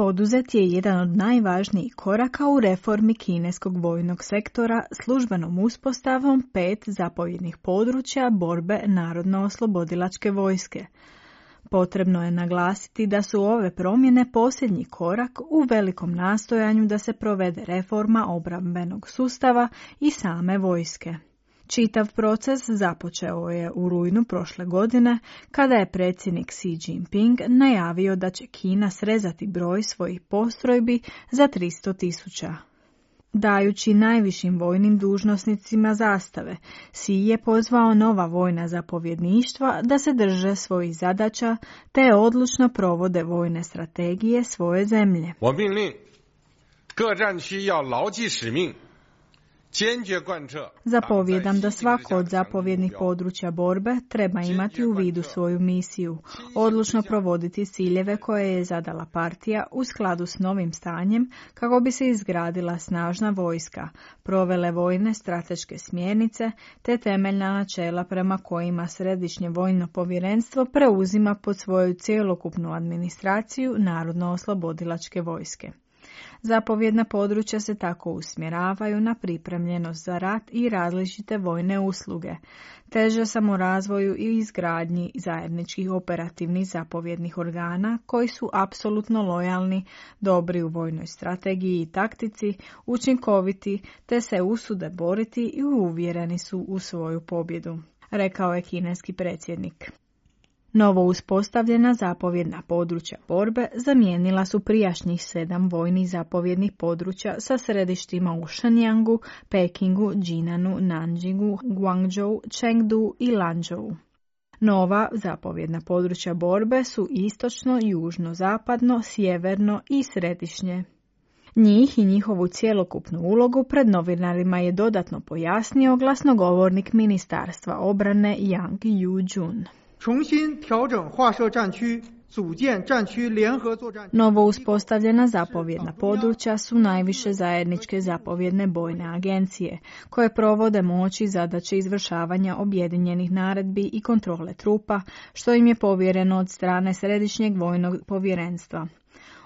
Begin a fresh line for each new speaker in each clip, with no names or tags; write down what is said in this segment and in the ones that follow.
Poduzet je jedan od najvažnijih koraka u reformi kineskog vojnog sektora službenom uspostavom 5 zapovjednih područja borbe Narodno-oslobodilačke vojske. Potrebno je naglasiti da su ove promjene posljednji korak u velikom nastojanju da se provede reforma obrambenog sustava i same vojske. Čitav proces započeo je u rujnu prošle godine, kada je predsjednik Xi Jinping najavio da će Kina srezati broj svojih postrojbi za 300.000. Dajući najvišim vojnim dužnosnicima zastave, Xi je pozvao nova vojna zapovjedništva da se drže svojih zadaća te odlučno provode vojne strategije svoje zemlje. Zapovjedam da svako od zapovjednih područja borbe treba imati u vidu svoju misiju, odlučno provoditi ciljeve koje je zadala partija u skladu s novim stanjem kako bi se izgradila snažna vojska, provele vojne strateške smjernice te temeljna načela prema kojima Središnje vojno povjerenstvo preuzima pod svoju cjelokupnu administraciju Narodno-oslobodilačke vojske. Zapovjedna područja se tako usmjeravaju na pripremljenost za rat i različite vojne usluge, teže samorazvoju i izgradnji zajedničkih operativnih zapovjednih organa koji su apsolutno lojalni, dobri u vojnoj strategiji i taktici, učinkoviti te se usude boriti i uvjereni su u svoju pobjedu, rekao je kineski predsjednik. Novo uspostavljena zapovjedna područja borbe zamijenila su prijašnjih 7 vojnih zapovjednih područja sa središtima u Shenyangu, Pekingu, Jinanu, Nanjingu, Guangzhou, Chengdu i Lanzhou. Nova zapovjedna područja borbe su istočno, južno, zapadno, sjeverno i središnje. Njih i njihovu cjelokupnu ulogu pred novinarima je dodatno pojasnio glasnogovornik Ministarstva obrane Yang Yu-jun. Novo uspostavljena zapovjedna područja su najviše zajedničke zapovjedne bojne agencije, koje provode moć i zadaće izvršavanja objedinjenih naredbi i kontrole trupa, što im je povjereno od strane Središnjeg vojnog povjerenstva.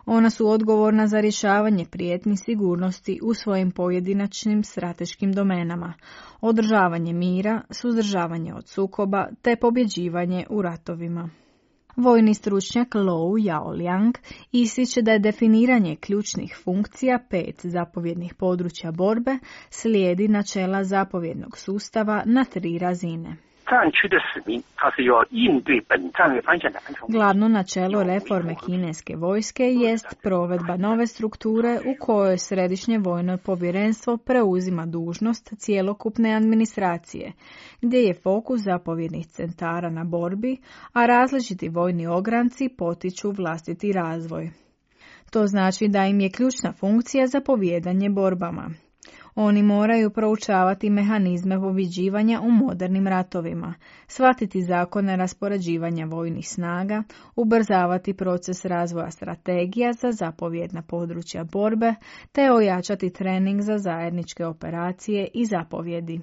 Ona su odgovorna za rješavanje prijetnji sigurnosti u svojim pojedinačnim strateškim domenama, održavanje mira, suzdržavanje od sukoba te pobjeđivanje u ratovima. Vojni stručnjak Lou Yaoliang ističe da je definiranje ključnih funkcija 5 zapovjednih područja borbe slijedi načela zapovjednog sustava na 3 razine. Glavno načelo reforme kineske vojske jest provedba nove strukture u kojoj Središnje vojno povjerenstvo preuzima dužnost cjelokupne administracije, gdje je fokus zapovjednih centara na borbi, a različiti vojni ogranci potiču vlastiti razvoj. To znači da im je ključna funkcija zapovijedanje borbama. Oni moraju proučavati mehanizme pobjeđivanja u modernim ratovima, shvatiti zakone raspoređivanja vojnih snaga, ubrzavati proces razvoja strategija za zapovjedna područja borbe, te ojačati trening za zajedničke operacije i zapovjedi.